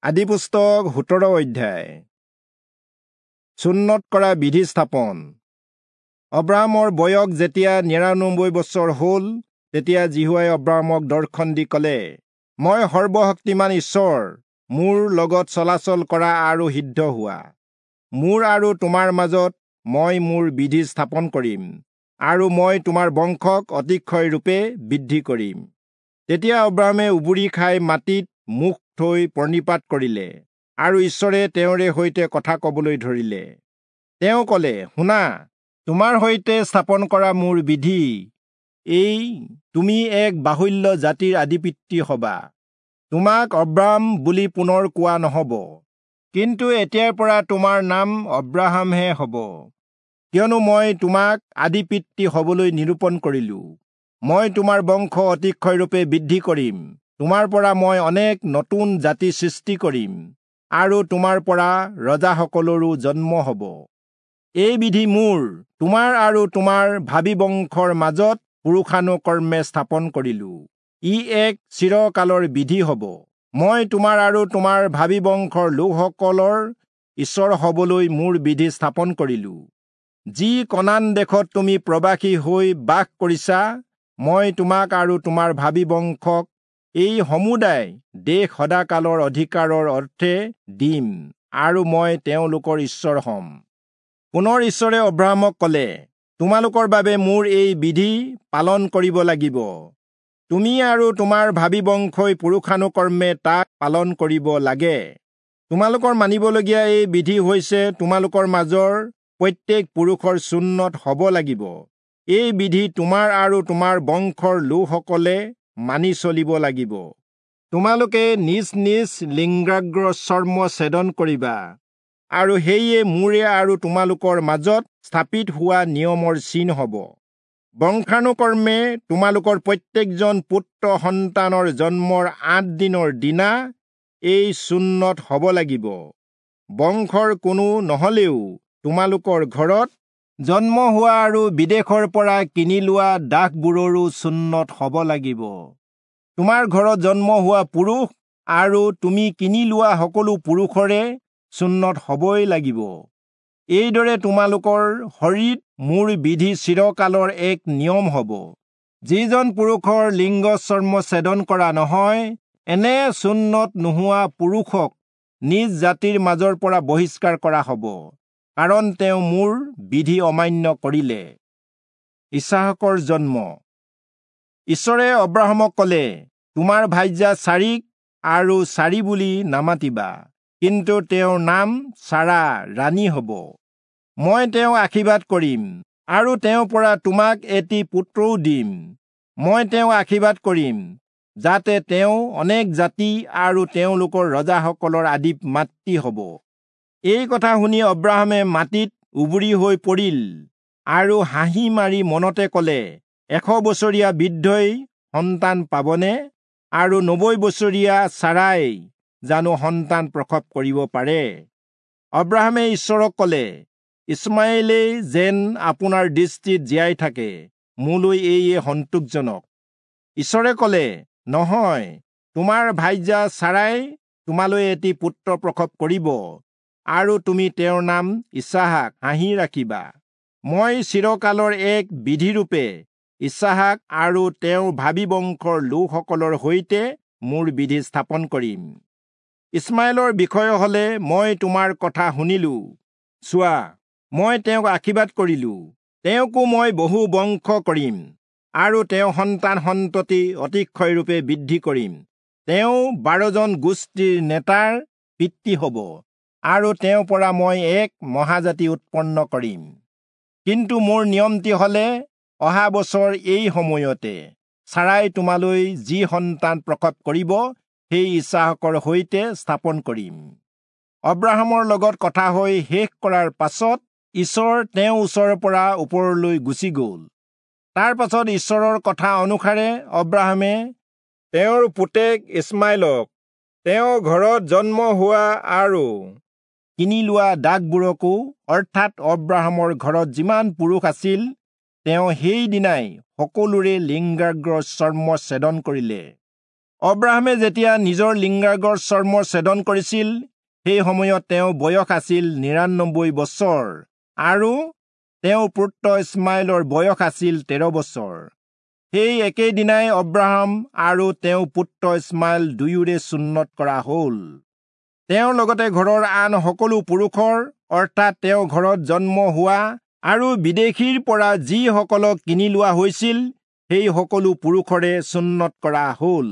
আদিপুস্তক 17 অধ্যায়। চুন্নত কৰা বিধি স্থাপন। অব্ৰাহামৰ বয়স যেতিয়া 99 বছৰ হ'ল, তেতিয়া যিহোৱাই অব্ৰাহামক দৰ্শন দি ক'লে, মই সৰ্বশক্তিমান ঈশ্বৰ, মোৰ লগত চলাচল কৰা আৰু সিদ্ধ হোৱা। মোৰ আৰু তোমাৰ মাজত মই মোৰ বিধি স্থাপন কৰিম, আৰু মই তোমাৰ বংশক অতিশয় ৰূপে বৃদ্ধি কৰিম। তেতিয়া অব্ৰাহামে উবুৰি খাই মাটিত মুখ থৈ প্ৰণিপাত কৰিলে, আৰু ঈশ্বৰে তেওঁৰে সৈতে কথা কবলৈ ধৰিলে। তেওঁ ক'লে, শুনা, তোমাৰ সৈতে স্থাপন কৰা মোৰ বিধি এই, তুমি এক বাহুল্য জাতিৰ আদিপিতৃ হবা। তোমাক অব্ৰাম বুলি পুনৰ কোৱা নহব, কিন্তু এতিয়াৰ পৰা তোমাৰ নাম অব্ৰাহামহে হব, কিয়নো মই তোমাক আদিপিতৃ হবলৈ নিৰূপণ কৰিলো। মই তোমাৰ বংশ অতিশয় ৰূপে বৃদ্ধি কৰিম, তোমাৰ পৰা মই অনেক নতুন জাতি সৃষ্টি কৰিম, আৰু তোমাৰ পৰা ৰজাসকলৰো জন্ম হব। এই বিধি মোৰ, তোমাৰ আৰু তোমাৰ ভাবী বংশৰ মাজত পুৰুষানুকৰ্মে স্থাপন কৰিলো। ই এক চিৰকালৰ বিধি হব। মই তোমাৰ আৰু তোমাৰ ভাবী বংশৰ লোকসকলৰ ঈশ্বৰ হবলৈ মোৰ বিধি স্থাপন কৰিলো। যি কনান দেশত তুমি প্ৰবাসী হৈ বাস কৰিছা, মই তোমাক আৰু তোমাৰ ভাবী বংশক এই সমুদায় দেশ সদাকালৰ অধিকাৰৰ অৰ্থে দিম, আৰু মই তেওঁলোকৰ ঈশ্বৰ হ'ম। পুনৰ ঈশ্বৰে অব্ৰাহামক ক'লে, তোমালোকৰ বাবে মোৰ এই বিধি পালন কৰিব লাগিব। তুমি আৰু তোমাৰ ভাবী বংশই পুৰুষানুকৰ্মে তাক পালন কৰিব লাগে। তোমালোকৰ মানিবলগীয়া এই বিধি হৈছে, তোমালোকৰ মাজৰ প্ৰত্যেক পুৰুষৰ চুন্নত হ'ব লাগিব। এই বিধি তোমাৰ আৰু তোমাৰ বংশৰ লোকসকলে মানি চলিব লাগিব। তোমালোকে নিজ নিজ লিংগাগ্ৰ চৰ্ম ছেদন কৰিবা, আৰু সেয়ে মোৰে আৰু তোমালোকৰ মাজত স্থাপিত হোৱা নিয়মৰ চিন হ'ব। বংশানুকৰ্মে তোমালোকৰ প্ৰত্যেকজন পুত্ৰ সন্তানৰ জন্মৰ 8 দিনৰ দিনা এই চুন্নত হ'ব লাগিব। বংশৰ কোনো নহ'লেও তোমালোকৰ ঘৰত জন্ম হোৱা আৰু বিদেশৰ পৰা কিনি লোৱা দাসবোৰৰো চুন্নত হ'ব লাগিব। তোমাৰ ঘৰত জন্ম হোৱা পুৰুষ আৰু তুমি কিনি লোৱা সকলো পুৰুষৰে চুন্নত হ'বই লাগিব। এইদৰে তোমালোকৰ শৰীৰত মোৰ বিধি চিৰকালৰ এক নিয়ম হ'ব। যিজন পুৰুষৰ লিংগ চৰ্ম ছেদন কৰা নহয়, এনে চুন্নত নোহোৱা পুৰুষক নিজ জাতিৰ মাজৰ পৰা বহিষ্কাৰ কৰা হ'ব, কাৰণ তেওঁ মোৰ বিধি অমান্য কৰিলে। ইছহাকৰ জন্ম। ঈশ্বৰে অব্ৰাহামক ক'লে, তোমাৰ ভাৰ্যা চাৰীক আৰু চাৰী বুলি নামাতিবা, কিন্তু তেওঁৰ নাম চাৰা ৰাণী হ'ব। মই তেওঁক আশীৰ্বাদ কৰিম, আৰু তেওঁৰ পৰা তোমাক এটি পুত্ৰও দিম। মই তেওঁক আশীৰ্বাদ কৰিম, যাতে তেওঁ অনেক জাতি আৰু তেওঁলোকৰ ৰজাসকলৰ আদি মাতৃ হ'ব। এই কথা শুনি অব্ৰাহামে মাটিত উবুৰি হৈ পৰিল, আৰু হাঁহি মাৰি মনতে ক'লে, 100 বছৰীয়া বৃদ্ধই সন্তান পাবনে? আৰু 90 বছৰীয়া চাৰাই জানো সন্তান প্ৰসৱ কৰিব পাৰে? অব্ৰাহামে ঈশ্বৰক ক'লে, ইছমাইলেই যেন আপোনাৰ দৃষ্টিত জীয়াই থাকে, মোলৈ এইয়ে সন্তোষজনক। ঈশ্বৰে ক'লে, নহয়, তোমাৰ ভাৰ্যা চাৰাই তোমালৈ এটি পুত্ৰ প্ৰসৱ কৰিব, আৰু তুমি তেওঁৰ নাম ইছহাক হাঁহি ৰাখিবা। মই চিৰকালৰ এক বিধিৰূপে ইছহাক আৰু তেওঁৰ ভাবী বংশৰ লোকসকলৰ সৈতে মোৰ বিধি স্থাপন কৰিম। ইছমাইলৰ বিষয় হ'লে মই তোমাৰ কথা শুনিলো। চোৱা, মই তেওঁক আশীৰ্বাদ কৰিলো, তেওঁকো মই বহু বংশ কৰিম, আৰু তেওঁ সন্তান সন্ততি অতিশয় ৰূপে বৃদ্ধি কৰিম। তেওঁ 12 জন গোষ্ঠীৰ নেতাৰ পিতৃ হ'ব, আৰু তেওঁৰ পৰা মই এক মহাজাতি উৎপন্ন কৰিম। কিন্তু মোৰ নিয়মটি হ'লে, অহা বছৰ এই সময়তে চাৰাই তোমালৈ যি সন্তান প্ৰসৱ কৰিব, সেই ইছহাকৰ সৈতে স্থাপন কৰিম। অব্ৰাহামৰ লগত কথা হৈ শেষ কৰাৰ পাছত ঈশ্বৰ তেওঁৰ ওচৰৰ পৰা ওপৰলৈ গুচি গ'ল। তাৰ পাছত ঈশ্বৰৰ কথা অনুসাৰে অব্ৰাহামে তেওঁৰ পুতেক ইছমাইলক তেওঁৰ ঘৰত জন্ম হোৱা আৰু কিনি লোৱা দাসবোৰকো, অৰ্থাৎ অব্ৰাহামৰ ঘৰত যিমান পুৰুষ আছিল, তেওঁ সেইদিনাই সকলোৰে লিংগাগ্ৰ চৰ্ম ছেদন কৰিলে। অব্ৰাহামে যেতিয়া নিজৰ লিংগাগ্ৰৰ চৰ্ম ছেদন কৰিছিল, সেই সময়ত তেওঁ বয়স আছিল 99 বছৰ আৰু তেওঁৰ পুত্ৰ ইছমাইলৰ বয়স আছিল 13 বছৰ। সেই একেদিনাই অব্ৰাহাম আৰু তেওঁৰ পুত্ৰ ইছমাইল দুয়োৰে চুন্নৎ কৰা হ'ল। তেওঁৰ লগতে ঘৰৰ আন সকলো পুৰুষৰ, অৰ্থাৎ তেওঁৰ ঘৰত জন্ম হোৱা আৰু বিদেশীৰ পৰা যিসকলক কিনি লোৱা হৈছিল, সেই সকলো পুৰুষৰে চুন্নৎ কৰা হ'ল।